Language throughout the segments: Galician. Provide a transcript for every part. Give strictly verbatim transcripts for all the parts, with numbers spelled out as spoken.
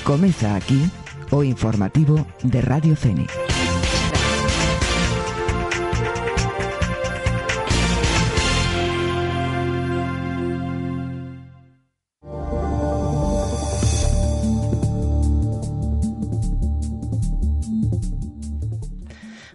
Comeza aquí o informativo de Radio Fene.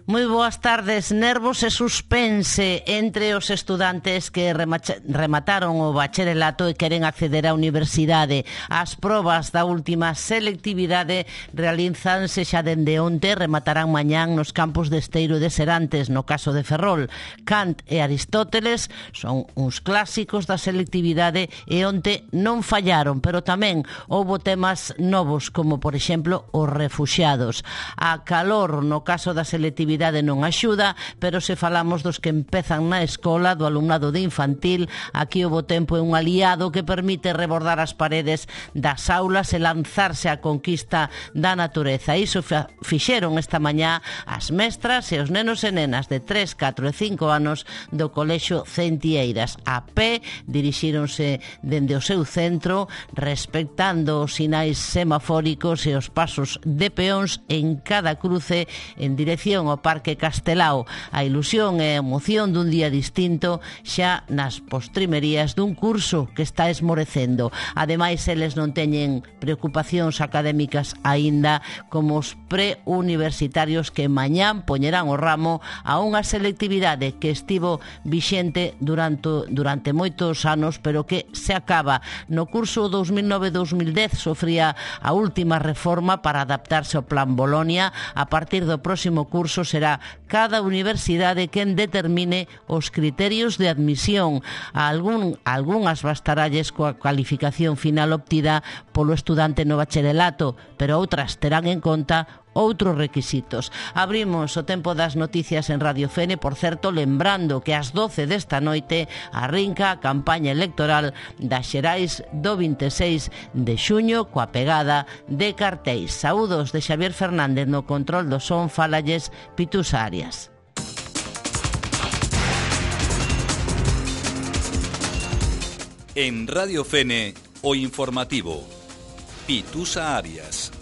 Moi boas tardes. Nervos e suspense entre os estudantes que remataron o bacharelato e queren acceder á universidade. As probas da última selectividade realizanse xa dende onte, rematarán mañán nos campos de Esteiro e de Serantes, no caso de Ferrol. Kant e Aristóteles son uns clásicos da selectividade e onte non fallaron, pero tamén houbo temas novos, como por exemplo os refuxiados. A calor no caso da selectividade non axuda, pero se falamos dos que empezan na escola, do alumnado de infantil, aquí o bo tempo é un aliado que permite rebordar as paredes das aulas e lanzarse á conquista da natureza. Iso fixeron esta mañá as mestras e os nenos e nenas de tres, catro e cinco anos do Colexio Centieiras. A pé dirixíronse dende o seu centro, respectando os sinais semafóricos e os pasos de peóns en cada cruce en dirección ao Parque Castelao. A ilusión e a emoción dun día distinto xa nas postrimerías dun curso que está esmorecendo. Ademais, eles non teñen preocupacións académicas aínda, como os preuniversitarios que mañán poñerán o ramo a unha selectividade que estivo vixente durante, durante moitos anos, pero que se acaba. No curso dos mil nove dos mil dez sofría a última reforma para adaptarse ao Plan Bolonia. A partir do próximo curso será cada universidade quen determine os criterios de admisión. A algún, algunhas bastaralles coa cualificación final obtida polo estudante no bacharelato, pero outras terán en conta outros requisitos. Abrimos o tempo das noticias en Radio Fene, por certo, lembrando que ás doce desta noite arrinca a campaña electoral das xerais do vinte e seis de xuño coa pegada de cartéis. Saúdos de Xavier Fernández no control do son, falalles Pitusa Arias. En Radio Fene, o informativo. Pitusa Arias.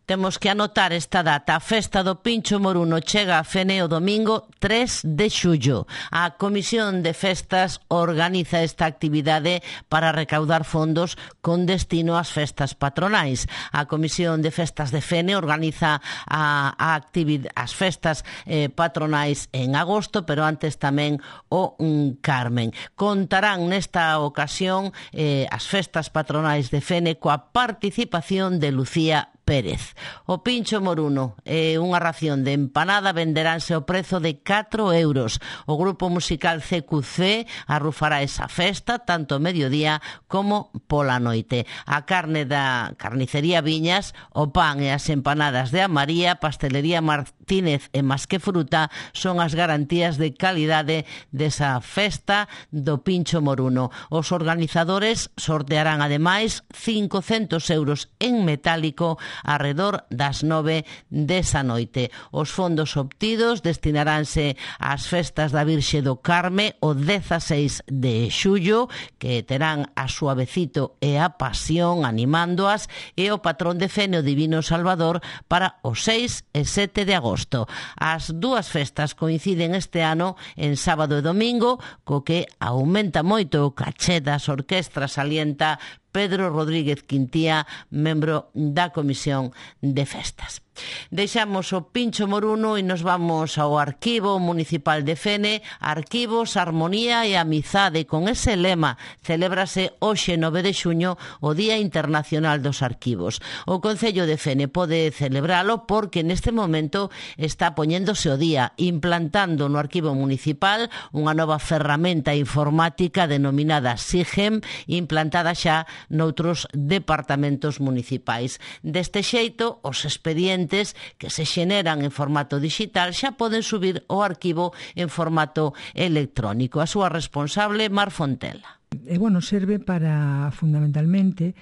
Temos que anotar esta data. A festa do Pincho Moruno chega a Fene o domingo tres de xullo. A Comisión de Festas organiza esta actividade para recaudar fondos con destino ás festas patronais. A Comisión de Festas de Fene organiza a, a actividade, as festas eh, patronais en agosto, pero antes tamén o um, Carmen. Contarán nesta ocasión eh, as festas patronais de Fene coa participación de Lucía Pérez. O Pincho Moruno e unha ración de empanada venderánse ao prezo de catro euros. O grupo musical C Q C arrufará esa festa tanto ao mediodía como pola noite. A carne da carnicería Viñas, o pan e as empanadas de A María, pastelería Martínez e Más que Fruta son as garantías de calidade desa festa do Pincho Moruno. Os organizadores sortearán ademais cincocentos euros en metálico arredor das nove desa noite. Os fondos obtidos destinaránse ás festas da Virxe do Carme o dezaseis de xullo, que terán a Suavecito e a Pasión animándoas, e o patrón de Fene, o Divino Salvador, para o seis e sete de agosto. As dúas festas coinciden este ano en sábado e domingo, co que aumenta moito o caché das orquestras, alienta Pedro Rodríguez Quintía, membro da Comisión de Festas. Deixamos o Pincho Moruno e nos vamos ao Arquivo Municipal de Fene. Arquivos, Armonía e Amizade. Con ese lema celébrase hoxe nove de xuño o Día Internacional dos Arquivos. O Concello de Fene pode celebralo porque neste momento está poñéndose o día, implantando no Arquivo Municipal unha nova ferramenta informática denominada SIGEM, implantada xa noutros departamentos municipais. Deste xeito, os expedientes que se xeneran en formato digital xa poden subir o arquivo en formato electrónico. A súa responsable, Mar Fontela. E, bueno, serve para, fundamentalmente,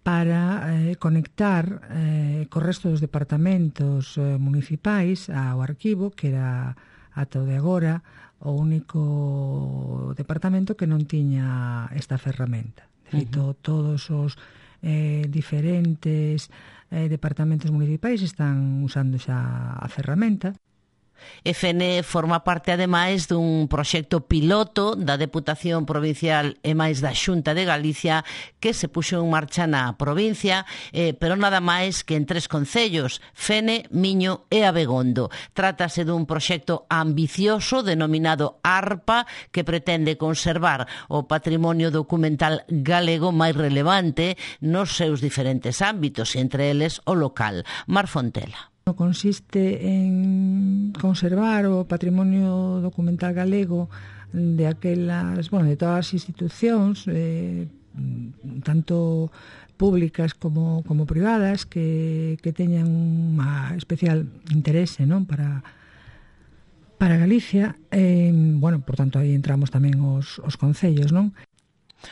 para eh, conectar eh, co resto dos departamentos eh, municipais ao arquivo, que era ata o de agora, o único departamento que non tiña esta ferramenta. De feito, uh-huh. todos os eh, diferentes eh, departamentos municipais están usando xa a ferramenta. F N forma parte, ademais, dun proxecto piloto da Deputación Provincial e máis da Xunta de Galicia que se puxo en marcha na provincia, eh, pero nada máis que en tres concellos, Fene, Miño e Abegondo. Trátase dun proxecto ambicioso denominado ARPA que pretende conservar o patrimonio documental galego máis relevante nos seus diferentes ámbitos, entre eles o local. Mar Fontela. Consiste en conservar o patrimonio documental galego de aquelas, bueno, de todas as institucións, eh, tanto públicas como, como privadas, que, que teñan unha especial interese, non, para para Galicia. Eh, bueno, por tanto, aí entramos tamén os, os concellos, non?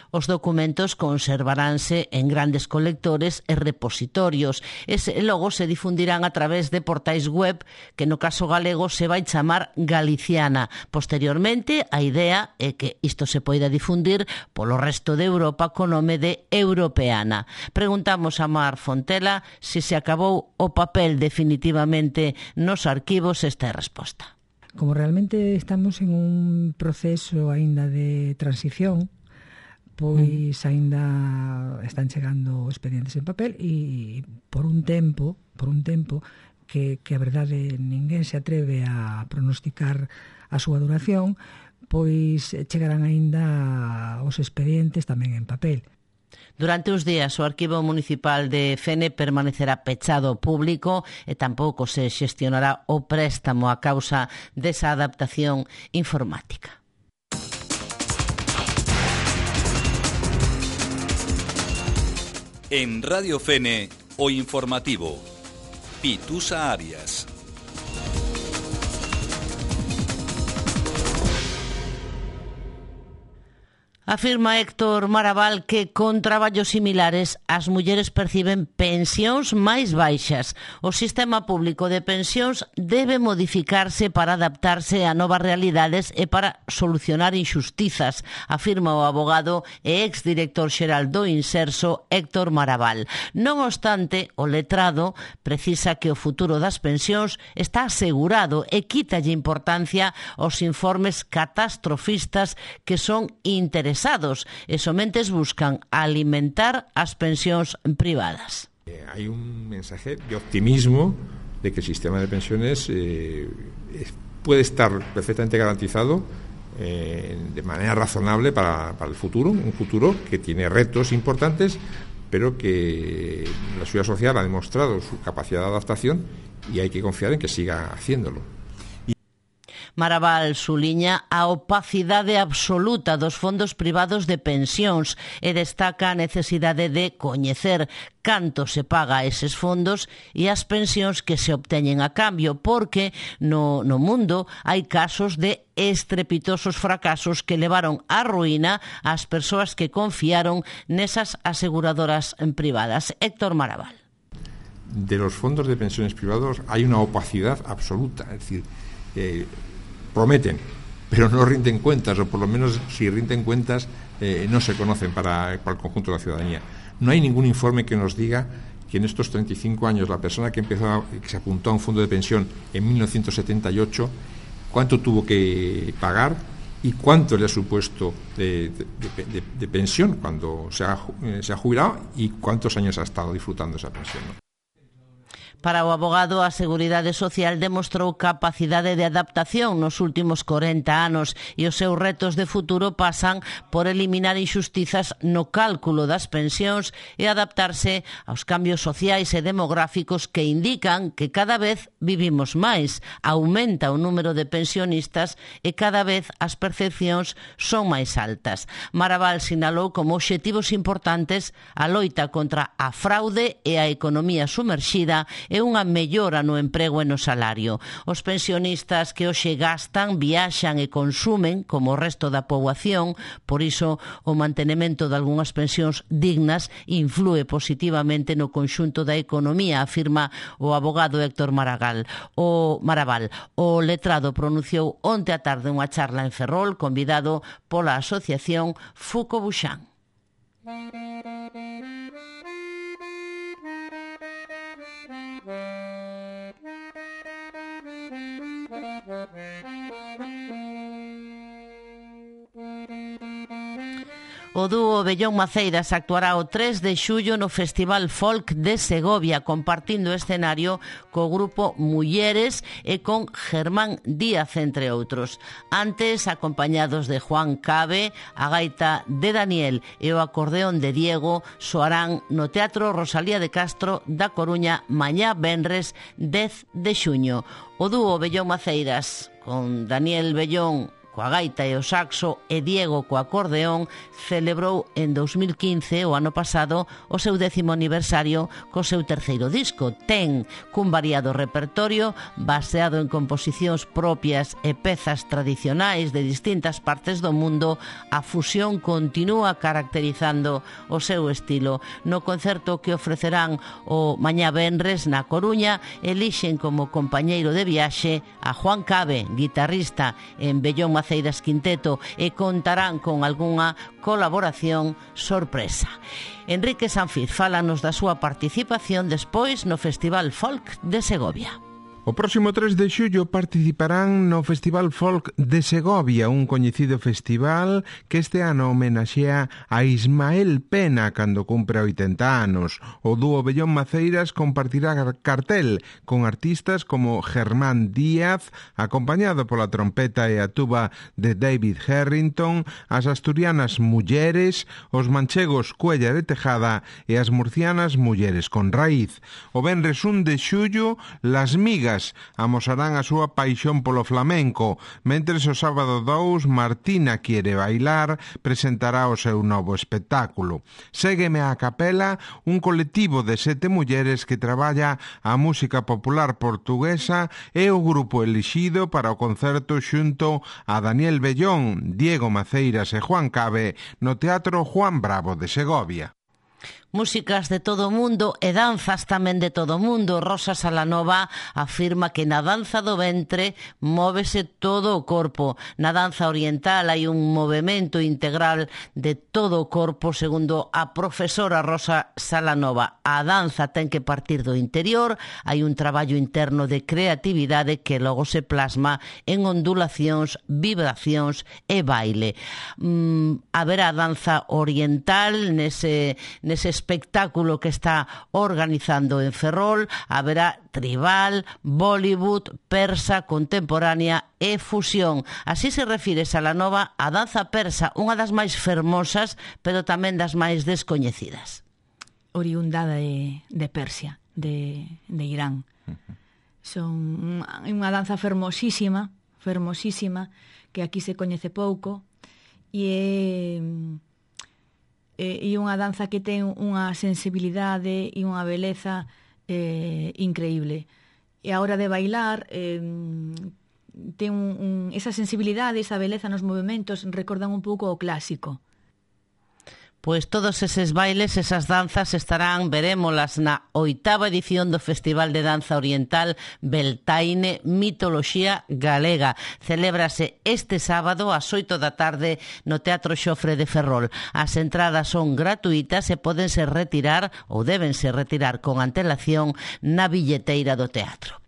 Os documentos conservaránse en grandes colectores e repositorios e logo se difundirán a través de portais web que no caso galego se vai chamar Galiciana. Posteriormente, a idea é que isto se poida difundir polo resto de Europa co nome de Europeana. Preguntamos a Mar Fontela se se acabou o papel definitivamente nos arquivos. Esta é a resposta. Como realmente estamos en un proceso aínda de transición, pois aínda están chegando expedientes en papel e por un tempo, por un tempo que, que a verdade ninguén se atreve a pronosticar a súa duración, pois chegarán aínda os expedientes tamén en papel. Durante os días o Arquivo Municipal de Fene permanecerá pechado ao público e tampouco se xestionará o préstamo a causa desa adaptación informática. En Radio Fene, o informativo. Pitusa Arias. Afirma Héctor Maraval que con traballos similares as mulleres perciben pensións máis baixas. O sistema público de pensións debe modificarse para adaptarse a novas realidades e para solucionar injustizas, afirma o abogado e exdirector xeral do Inserso Héctor Maraval. Non obstante, o letrado precisa que o futuro das pensións está asegurado e quítalle importancia aos informes catastrofistas que son interesantes e somentes buscan alimentar as pensións privadas. Eh, hay un mensaje de optimismo de que el sistema de pensiones eh, puede estar perfectamente garantizado eh, de manera razonable para, para el futuro, un futuro que tiene retos importantes, pero que la Seguridad Social ha demostrado su capacidad de adaptación y hay que confiar en que siga haciéndolo. Maraval suliña a opacidade absoluta dos fondos privados de pensións e destaca a necesidade de coñecer canto se paga a eses fondos e as pensións que se obteñen a cambio, porque no, no mundo hai casos de estrepitosos fracasos que levaron á ruína ás persoas que confiaron nesas aseguradoras privadas. Héctor Maraval. De los fondos de pensiones privados hay una opacidad absoluta, es decir, eh, prometen, pero no rinden cuentas, o por lo menos si rinden cuentas eh, no se conocen para, para el conjunto de la ciudadanía. No hay ningún informe que nos diga que en estos treinta y cinco años la persona que empezó a, que se apuntó a un fondo de pensión en mil novecientos setenta y ocho, cuánto tuvo que pagar y cuánto le ha supuesto de, de, de, de pensión cuando se ha, se ha jubilado y cuántos años ha estado disfrutando esa pensión, ¿no? Para o abogado, a Seguridade Social demostrou capacidade de adaptación nos últimos corenta anos e os seus retos de futuro pasan por eliminar injustizas no cálculo das pensións e adaptarse aos cambios sociais e demográficos que indican que cada vez vivimos máis, aumenta o número de pensionistas e cada vez as percepcións son máis altas. Maraval sinalou como obxectivos importantes a loita contra a fraude e a economía sumerxida e unha mellora no emprego e no salario. Os pensionistas que hoxe gastan, viaxan e consumen como o resto da poboación, por iso o mantenimento de algunhas pensións dignas influe positivamente no conxunto da economía, afirma o abogado Héctor Maragall. O Maraval, o letrado pronunciou onte a tarde unha charla en Ferrol, convidado pola asociación Fuco Buxán. O dúo Bellón Maceiras actuará o tres de xullo no Festival Folk de Segovia, compartindo escenario co grupo Mulleres e con Germán Díaz, entre outros. Antes, acompañados de Juan Cabe, a gaita de Daniel e o acordeón de Diego, soarán no Teatro Rosalía de Castro da Coruña mañá venres dez de xuño. O dúo Bellón Maceiras, con Daniel Bellón coa gaita e o saxo e Diego co acordeón, celebrou en dos mil quince, o ano pasado, o seu décimo aniversario co seu terceiro disco. Ten cun variado repertorio baseado en composicións propias e pezas tradicionais de distintas partes do mundo. A fusión continúa caracterizando o seu estilo. No concerto que ofrecerán o mañá venres na Coruña, elixen como compañeiro de viaxe a Juan Cabe, guitarrista en Bellón Maceiras Quinteto, e contarán con algunha colaboración sorpresa. Enrique Sanfiz fálanos da súa participación despois no Festival Folk de Segovia. O próximo tres de xullo participarán no Festival Folk de Segovia, un coñecido festival que este ano homenaxea a Ismael Pena cando cumpre oitenta anos. O dúo Bellón Maceiras compartirá cartel con artistas como Germán Díaz, acompañado pola trompeta e a tuba de David Harrington, as asturianas Mulleres, os manchegos Cuellar e Tejada e as murcianas Mulleres con Raíz. O venres un de xullo, Las Migas amosarán a súa paixón polo flamenco, mentres o sábado dous Martina Quiere Bailar presentará o seu novo espectáculo. Ségueme a capela, un colectivo de sete mulleres que traballa a música popular portuguesa, e o grupo elixido para o concerto xunto a Daniel Bellón, Diego Maceiras e Juan Cabe no Teatro Juan Bravo de Segovia. Músicas de todo o mundo e danzas tamén de todo o mundo. Rosa Salanova afirma que na danza do ventre móvese todo o corpo. Na danza oriental hai un movimento integral de todo o corpo, segundo a profesora Rosa Salanova. A danza ten que partir do interior, hai un traballo interno de creatividade que logo se plasma en ondulacións, vibracións e baile. Mm, haberá danza oriental nese, nese espectáculo que está organizando en Ferrol, haberá tribal, Bollywood, persa, contemporánea e fusión. Así se refire Salanova a danza persa, unha das máis fermosas, pero tamén das máis descoñecidas. Oriunda de, de Persia, de, de Irán. Son unha danza fermosísima, fermosísima, que aquí se coñece pouco, e é... e unha danza que ten unha sensibilidade e unha beleza eh, increíble. E a hora de bailar eh, ten un, un, esa sensibilidade, esa beleza nos movimentos recordan un pouco o clásico. Pois todos eses bailes, esas danzas estarán, verémolas na oitava edición do Festival de Danza Oriental Beltaine Mitoloxía Galega. Celébrase este sábado ás oito da tarde no Teatro Xofre de Ferrol. As entradas son gratuitas e pódense retirar ou débense retirar con antelación na billeteira do teatro.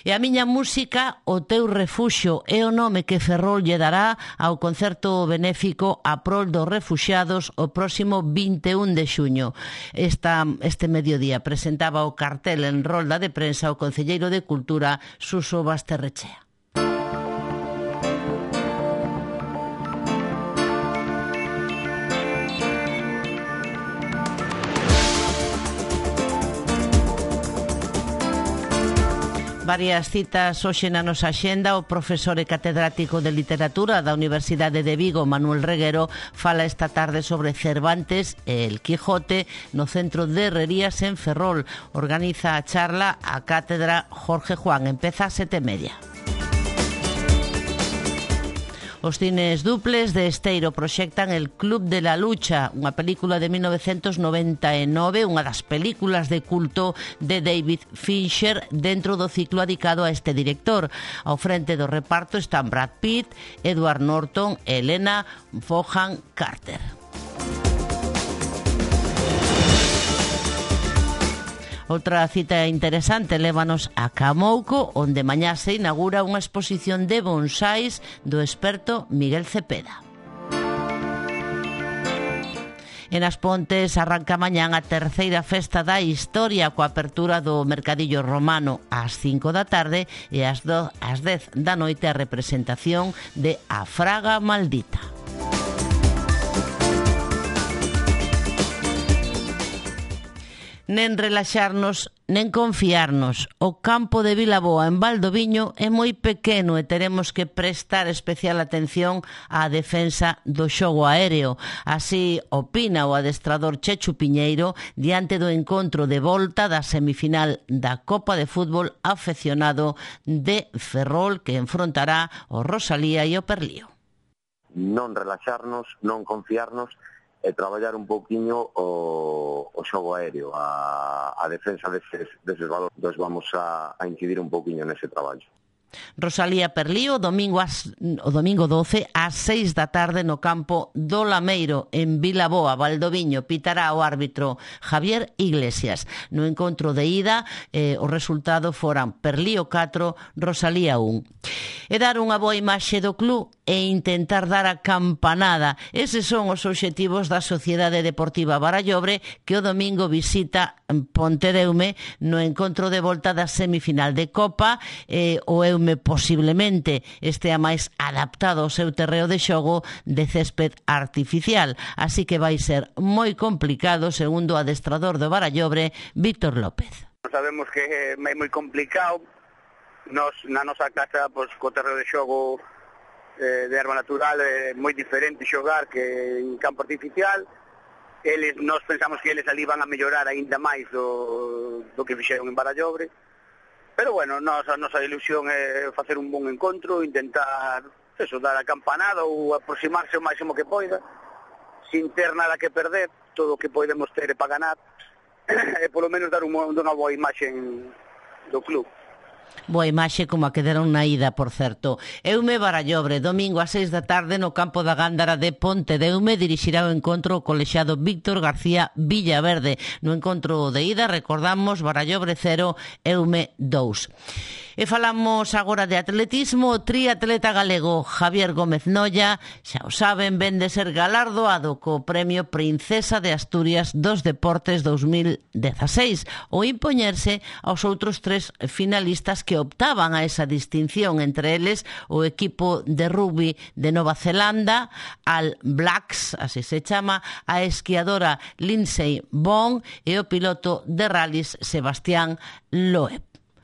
E a miña música, o teu refuxio, é o nome que Ferrol lle dará ao concerto benéfico a prol dos refuxiados o próximo vinte e un de xuño. Esta, este mediodía presentaba o cartel en rolda de prensa o concelleiro de Cultura, Suso Basterrechea. Varias citas hoxe na nosa axenda. O profesor e catedrático de literatura da Universidade de Vigo, Manuel Reguero, fala esta tarde sobre Cervantes e el Quijote no Centro de Herrerías en Ferrol. Organiza a charla a cátedra Jorge Juan. Empeza a sete e media. Os cines duples de Esteiro proxectan El Club de la Lucha, unha película de mil novecientos noventa e nove, unha das películas de culto de David Fincher dentro do ciclo dedicado a este director. Ao frente do reparto están Brad Pitt, Edward Norton e Helena Bonham Carter. Outra cita interesante lévanos a Camouco, onde mañá se inaugura unha exposición de bonsais do experto Miguel Cepeda. En As Pontes arranca mañán a terceira festa da historia coa apertura do Mercadillo Romano ás cinco da tarde e ás dez da noite a representación de A Fraga Maldita. Nen relaxarnos, nen confiarnos. O campo de Vilaboa en Valdoviño é moi pequeno e teremos que prestar especial atención á defensa do xogo aéreo. Así opina o adestrador Chechu Piñeiro diante do encontro de volta da semifinal da Copa de Fútbol afeccionado de Ferrol, que enfrontará o Rosalía e o Perlío. Non relaxarnos, non confiarnos e traballar un pouquiño o, o xogo aéreo, a, a defensa deses, deses valores. Entón vamos a, a incidir un pouquiño nese traballo. Rosalía Perlío, domingo as, o domingo doce ás seis da tarde no campo do Lameiro en Vilaboa, Valdoviño. Pitará o árbitro Javier Iglesias. No encontro de ida, eh, o resultado foran Perlío catro, Rosalía un. E dar unha boa imaxe do club e intentar dar a campanada. Eses son os obxectivos da Sociedade Deportiva Barallobre, que o domingo visita Pontedeume no encontro de volta da semifinal de Copa. eh, o Eume posiblemente estea máis adaptado ao seu terreo de xogo de césped artificial, así que vai ser moi complicado, segundo o adestrador do Barallobre, Víctor López. Sabemos que é moi complicado. Nos, na nosa casa, pois, co terreo de xogo eh, de erva natural é moi diferente xogar que en campo artificial. Eles, nós pensamos que eles ali van a mellorar aínda máis do, do que fixeron en Barallobre. Pero bueno, nos, a nosa ilusión é facer un bon encontro, intentar eso, dar a campanada ou aproximarse o máximo que poida, sin ter nada que perder, todo o que podemos ter é para ganar, e polo menos dar unha, unha boa imaxe do club. Boa imaxe como a que deron na ida, por certo. Eume Barallobre, domingo a seis da tarde no campo da Gándara de Pontedeume, dirixirá o encontro o colexiado Víctor García Villaverde. No encontro de ida, recordamos, Barallobre cero, Eume dous. E falamos agora de atletismo. O triatleta galego Javier Gómez Nolla, xa o saben, ven de ser galardoado co Premio Princesa de Asturias dos Deportes dos mil dezaseis, o impoñerse aos outros tres finalistas que optaban a esa distinción, entre eles o equipo de rugby de Nova Zelanda, All Blacks, así se chama, a esquiadora Lindsay Vonn e o piloto de rallies Sebastián Loeb.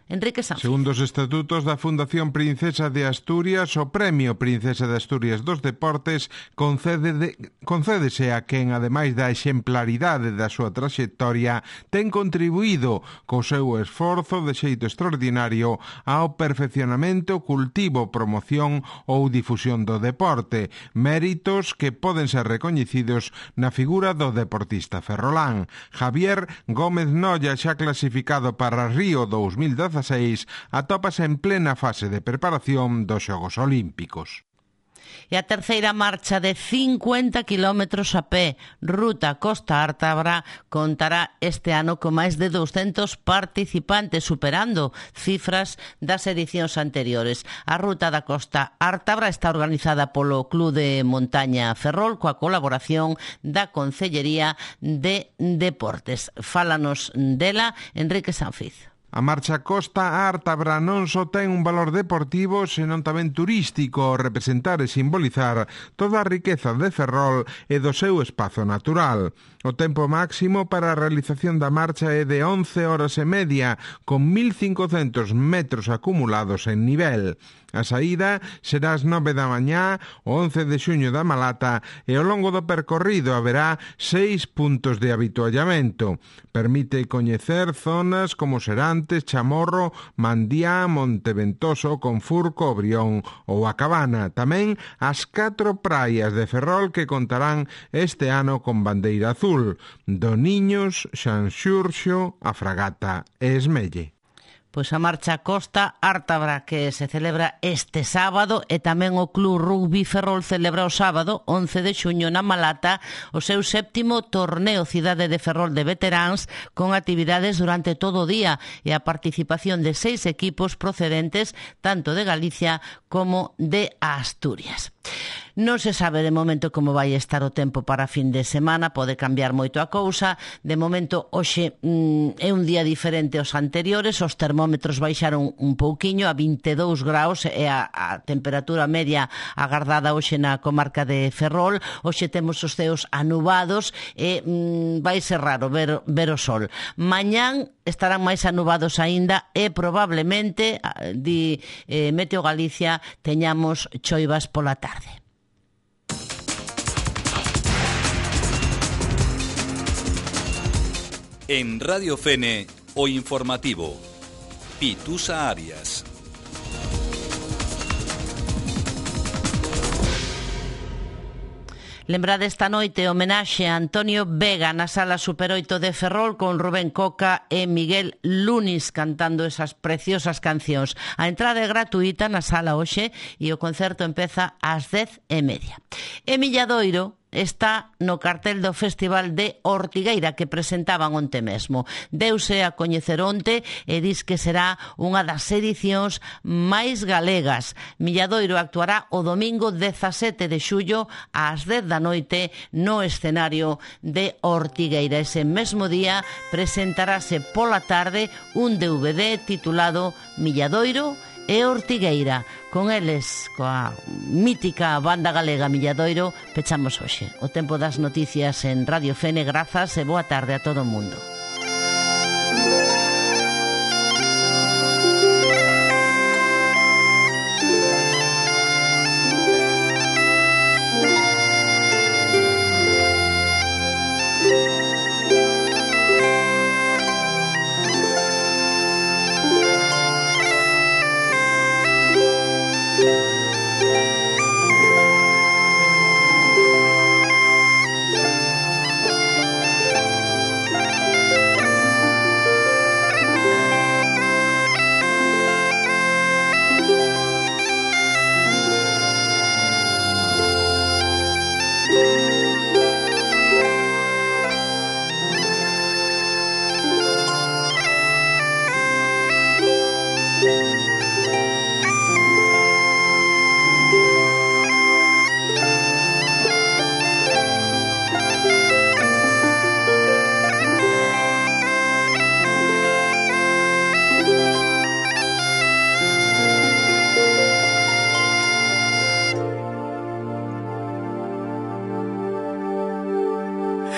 Enrique Sanz. Segundo os estatutos da Fundación Princesa de Asturias, o Premio Princesa de Asturias dos Deportes concede de, concédese a quen, ademais da exemplaridade da súa traxectoria, ten contribuído co seu esforzo de xeito extraordinario ao perfeccionamento, cultivo, promoción ou difusión do deporte, méritos que poden ser recoñecidos na figura do deportista ferrolán. Javier Gómez Nolla, xa clasificado para Río dos mil dezaseis, atópase en plena fase de preparación dos Xogos Olímpicos. E a terceira marcha de cincuenta kilómetros a pé, ruta Costa Ártabra, contará este ano con máis de douscentos participantes, superando cifras das edicións anteriores. A ruta da Costa Ártabra está organizada polo Club de Montaña Ferrol coa colaboración da Concellería de Deportes. Fálanos dela Enrique Sanfiz. A marcha Costa Ártabra non só ten un valor deportivo, senón tamén turístico, ao representar e simbolizar toda a riqueza de Ferrol e do seu espazo natural. O tempo máximo para a realización da marcha é de once horas e media, con mil cincocentos metros acumulados en nivel. A saída será ás nove da mañá, o once de xuño da Malata, e ao longo do percorrido haberá seis puntos de habituallamento. Permite coñecer zonas como Serantes, Chamorro, Mandiá, Monteventoso, Confurco, Brión ou a Cabana. Tamén as catro praias de Ferrol que contarán este ano con bandeira azul: Doniños, Xanxurxo, A Fragata e Esmelle. Pois a marcha Costa Ártabra, que se celebra este sábado, e tamén o Club Rugby Ferrol celebra o sábado, once de xuño, na Malata, o seu séptimo torneo Cidade de Ferrol de veteráns, con actividades durante todo o día e a participación de seis equipos procedentes tanto de Galicia como de Asturias. Non se sabe de momento como vai estar o tempo para a fin de semana, pode cambiar moito a cousa. De momento, hoxe mm, é un día diferente aos anteriores, os termómetros baixaron un pouquiño a vinte e dous graus, e a, a temperatura media agardada hoxe na comarca de Ferrol. Hoxe temos os ceos anubados e mm, vai ser raro ver, ver o sol. Mañán estarán máis anubados aínda e probablemente, di eh, Meteo Galicia, teñamos choivas pola tarde. En Radio Fene, o informativo. Pitusa Arias. Lembrade esta noite homenaxe a Antonio Vega na Sala Super oito de Ferrol, con Rubén Coca e Miguel Lunis cantando esas preciosas cancións. A entrada é gratuita na sala hoxe e o concerto empeza ás dez e media. E Milladoiro está no cartel do Festival de Ortigueira que presentaban onte mesmo. Deuse a coñecer onte e dis que será unha das edicións máis galegas. Milladoiro actuará o domingo dezasete de xullo ás dez da noite no escenario de Ortigueira. Ese mesmo día presentarase pola tarde un D V D titulado Milladoiro e Ortigueira. Con eles, coa mítica banda galega Milladoiro, pechamos hoxe o tempo das noticias en Radio Fene. Grazas e boa tarde a todo o mundo.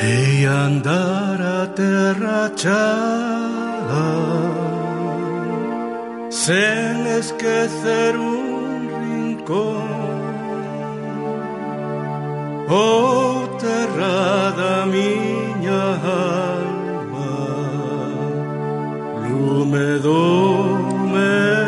E andar a terra chá sen esquecer un rincón, oh terra da miña alma, lume do meu